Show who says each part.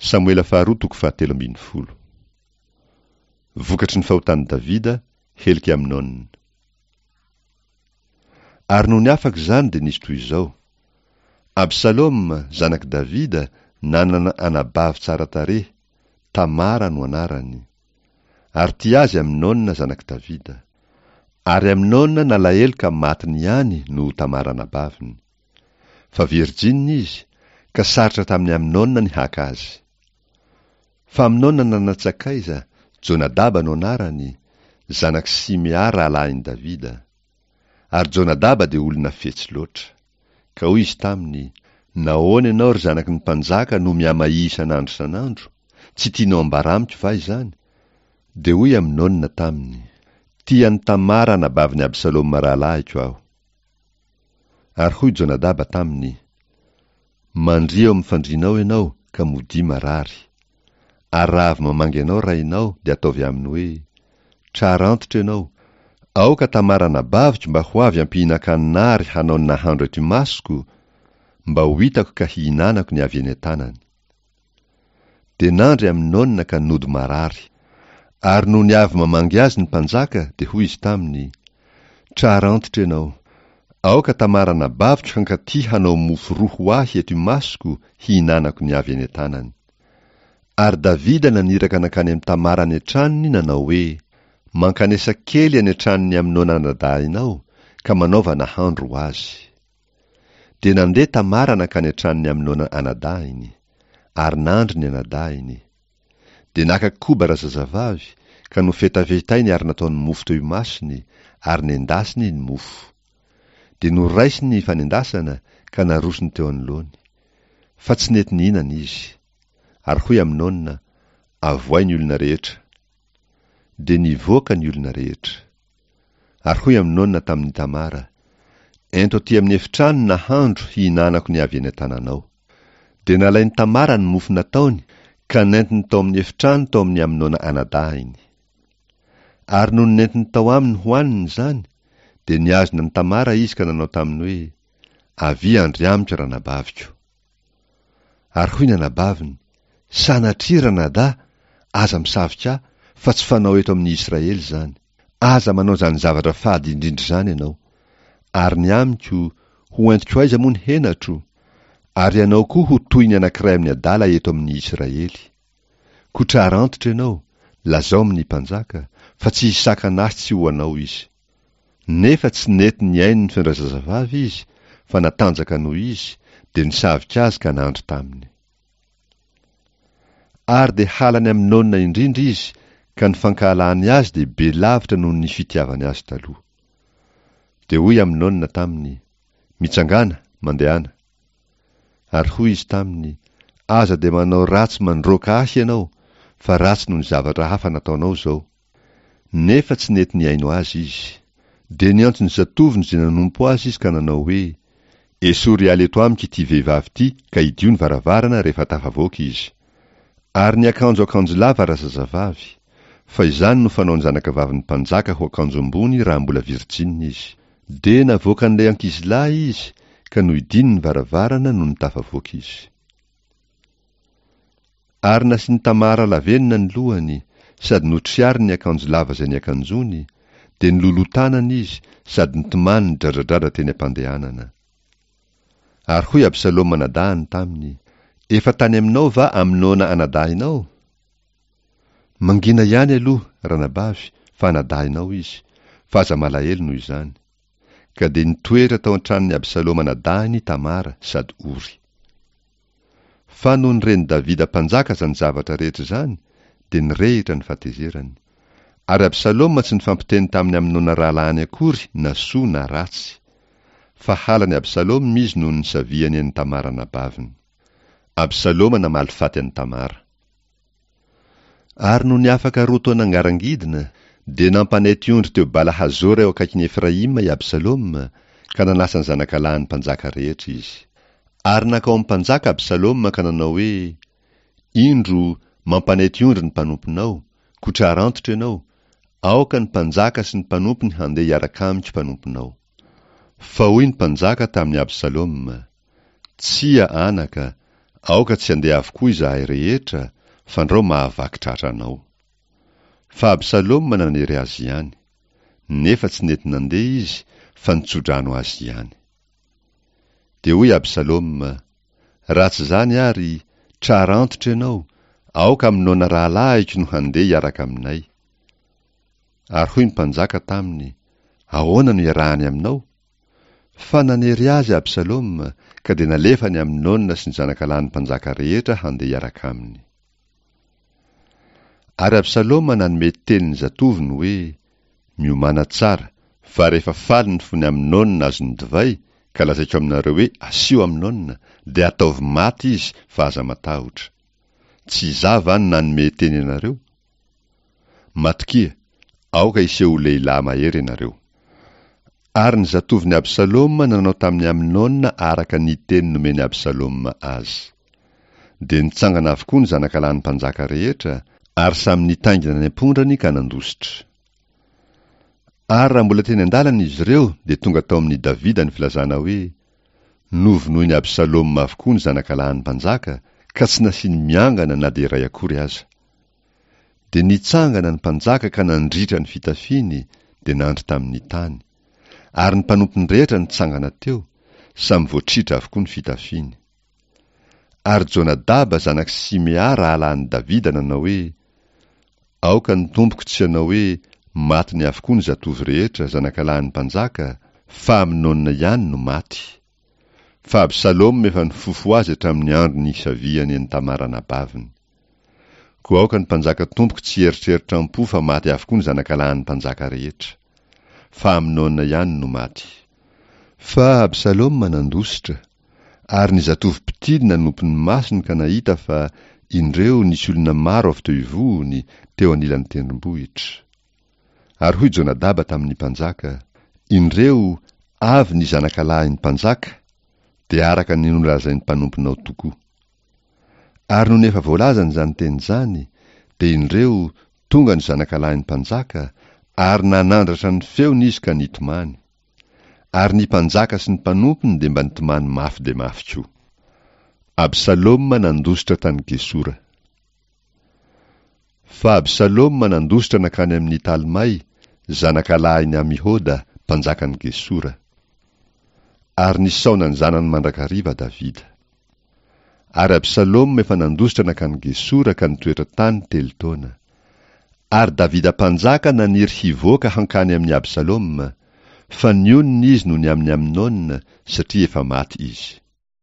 Speaker 1: Samoela faharoa toko fahatelo ambin'ny folo. Vokatry ny fahotan'i Davida, helok'i Amnona. Ary nony afaka izany dia nisy toy izao, Absaloma, zanak'i Davida, nanana anabavy tsara tarehy, Tamara no anarany. Ary tia azy Amnona zanak'i Davida. Ary Amnona nalahelo ka matiny ihany noho Tamara anabaviny. Fa virjinina izy, ka sarotra tamin'i Amnona ny haka azy. Fa Amnona nanan-tsakaiza, Jonadaba no anarany, zanak'i Simea rahalahin'i Davida. Ary Jonadaba dia olona fetsy loatra. Ka hoy izy taminy, Nahoana ianao, ry zanaky ny mpanjaka, no mihamahia isan'andro isan'andro? Tsy tianao ambara amiko va izany? Dia hoy Amnona taminy, Tia an'i Tamara anabavin'i Absaloma rahalahiko aho. Ary hoy Jonadaba taminy, Mandria eo amin'ny fandrianao ianao, ka modia marary. Ary raha avy mamangy anao rainao, dia ataovy aminy hoe, Trara antitra ianao, aoka Tamara anabaviko mba ho avy hampihinan-kanina ary hanao ny nahandro eto imasoko, mba ho hitako ka hihinanako ny avy eny an-tanany. Dia nandry Amnona ka nody marary. Ary nony avy mamangy azy ny mpanjaka, dia hoy izy taminy, Trara antitra ianao. Aoka Tamara anabaviko hankaty hanao mofo roa ho ahy eto imasoko hihinanako ny avy eny an-tanany. Ary Davida naniraka nankany amin'i Tamara any an-tranony nanao hoe, Mankanesa kely any an-tranon'i Amnona anadahinao, ka manaova nahandro ho azy. Dia nandeha Tamara nankany an-tranon'i Amnona anadahiny, ary nandry ny anadahiny. Dia naka koba razazavavy, ka nofetafetainy ary nataony mofo teo imasony, ary nendasiny ny mofo. Dia noraisiny ny fanendasana, ka narosony teo anoloany. Fa tsy nety nihinana izy. Ary hoy Amnona, Avoay ny olona rehetra. Dia nivoaka ny olona rehetra. Ary hoy Amnona tamin'i Tamara, Ento aty amin'ny efitrano nahandro hihinanako ny avy eny an-tananao. Dia nalain'i Tamara ny mofo nataony ka nentiny tao amin'ny efitrano tao amin'i Amnona anadahiny. Ary nony nentiny tao aminy hohaniny izany, dia nihazona an'i Tamara izy ka nanao taminy hoe, Avia handry amiko ranabaviko. Ary hoy ny anabaviny, Sanatria, ranadahy, aza misavika ahy, fa tsy fanao eto amin'ny Israely izany. Aza manao izany zavatra fady indrindra izany ianao. Ary ny amiko, ho entiko aiza moa ny henatro? Ary ianao koa ho toy ny anankiray amin'ny adala eto amin'ny Israely. Koa trara antitra ianao, lazao amin'ny mpanjaka, fa tsy hisakana ahy tsy ho anao izy. Nefa tsy nety nihaino ny feon-drazazavavy izy, fa natanjaka noho izy, dia nisavika azy ka nandry taminy. Ary dia halan'i Amnona indrindra izy, ka ny fankahalany azy dia be lavitra noho ny fitiavany azy taloha. Dia hoy Amnona taminy, Mitsangàna, mandehana. Ary hoy izy taminy, Aza dia manao ratsy mandroaka ahy ianao, fa ratsy noho ny zavatra hafa nataonao izao. Nefa tsy nety nihaino azy izy. Dia niantso ny zatovony izay nanompo azy izy ka nanao hoe, Esory hiala eto amiko ity vehivavy ity ka hidio ny varavarana rehefa tafavoaka izy. Ary niakanjo akanjo lava razazavavy, fa izany no fanaon'ny zanakavavin'ny mpanjaka ho akanjo ambony raha mbola virjinina izy. Dia navoakan'ilay ankizilahy izy ka nohidiany ny varavarana nony tafavoaka izy. Ary nasian'i Tamara lavenona ny lohany, sady notriariny ny akanjo lava izay niakanjoany, dia niloloha tanana izy sady nitomany nidradradradra teny am-pandehanana. Ary hoy Absaloma anadahiny taminy, Efa tany aminao va Amnona anadahinao? Mangina ihany aloha, ranabavy, fa anadahinao izy, fa aza malahelo noho izany. Ka dia nitoetra tao an-tranon'i Absaloma anadahiny Tamara sady ory. Fa nony ren'i Davida mpanjaka izany zavatra rehetra izany, dia nirehitra ny fahatezerany. Ary Absaloma tsy nifampiteny tamin'i Amnona rahalahiny akory na soa na ratsy. Fa halan'i Absaloma izy noho ny nisaviany an'i Tamara anabaviny. Absaloma namaly faty an'i Tamara. Ary nony afaka roa taona ngarangidina, dia nampanety ondry teo Bala-hazora eo akaikin'i Efraima i Absaloma, ka nanasa ny zanakalahin'ny mpanjaka rehetra izy. Ary nankao amin'ny mpanjaka Absaloma ka nanao hoe, Indro, mampanety ondry ny mpanomponao, koa trara antitra ianao, aoka ny mpanjaka sy ny mpanompony handeha hiaraka amiko mpanomponao. Fa hoy ny mpanjaka tamin'i Absaloma, Tsia, anaka, Aoka tsy handeha avokoa izahay rehetra, fandrao mahavaky tratra anao. Fa Absaloma nanery azy ihany. Nefa tsy nety nandeha izy, fa nitso-drano azy ihany. Dia hoy Absaloma, Raha tsy izany àry, trara antitra ianao, aoka Amnona rahalahiko no handeha hiaraka aminay. Ary hoy ny mpanjaka taminy, Ahoana no iarahany aminao? Fa nanery azy Absaloma, ka dia nalefany Amnona sy ny zanakalahin'ny mpanjaka rehetra handeha hiaraka aminy. Ary Absaloma nanome teny ny zatovony hoe, Miomàna tsara, fa rehefa faly ny fon'i Amnona azon'ny divay, ka lazaiko aminareo hoe, Asio Amnona, dia ataovy maty izy, fa aza matahotra. Tsy izaho va no nanome teny anareo? Matokia, aoka hiseho ho lehilahy mahery ianareo. Ary ny zatovon'i Absaloma nanao tamin'i Amnona araka ny teny nomen'i Absaloma azy. Dia nitsangana avokoa ny zanakalahin'ny mpanjaka rehetra, ary samy nitaingina ny ampondrany ka nandositra. Ary raha mbola teny an-dalana izy ireo, dia tonga tao amin'i Davida ny filazana hoe, Novonoin'i Absaloma avokoa ny zanakalahin'ny mpanjaka, ka tsy nasiany miangana na dia iray akory aza. Dia nitsangana ny mpanjaka ka nandritra ny fitafiany, dia nandry tamin'ny tany. Ary ny mpanompony rehetra nitsangana teo, samy voatritra avokoa ny fitafiany. Ary Jonadaba zanak'i Simea rahalahin'i Davida nanao hoe, Aoka ny tompoko tsy hanao hoe, Matiny avokoa ny zatovo rehetra, zanakalahin'ny mpanjaka, fa Amnona ihany no maty. Fa Absaloma efa nifofo azy hatramin'ny andro nisaviany an'i Tamara anabaviny. Koa aoka ny mpanjaka tompoko tsy hieritreritra am-po fa maty avokoa ny zanakalahin'ny mpanjaka rehetra. Fa Amnona ihany no maty. Fa Absaloma nandositra, ary ny zatovo mpitily nanopy ny masony ka nahita fa, indreo, nisy olona maro avy teo ivohony, teo anilan'ny tendrombohitra. Ary hoy Jonadaba tamin'ny mpanjaka, Indreo, avy ny zanakalahin'ny mpanjaka, dia araka ny nolazain'ny mpanomponao tokoa. Ary nony efa voalazany izany teny izany, dia indreo, tonga ny zanakalahin'ny mpanjaka, ary nanandratra ny feony izy ka nitomany. Ary ny mpanjaka sy ny mpanompony dia mba nitomany mafy dia mafy koa. Absaloma nandositra tany Gesora. Fa Absaloma nandositra nankany amin'i Talmay, zanakalahin'i Amihoda, mpanjakan'i Gesora. Ary nisaona ny zanany mandrakariva Davida. Ary Absaloma efa nandositra nankany Gesora ka nitoetra tany telo taona. Ary Davida mpanjaka naniry hivoaka hankany amin'i Absaloma, fa nionona izy noho ny amin'i Amnona, satria efa maty izy.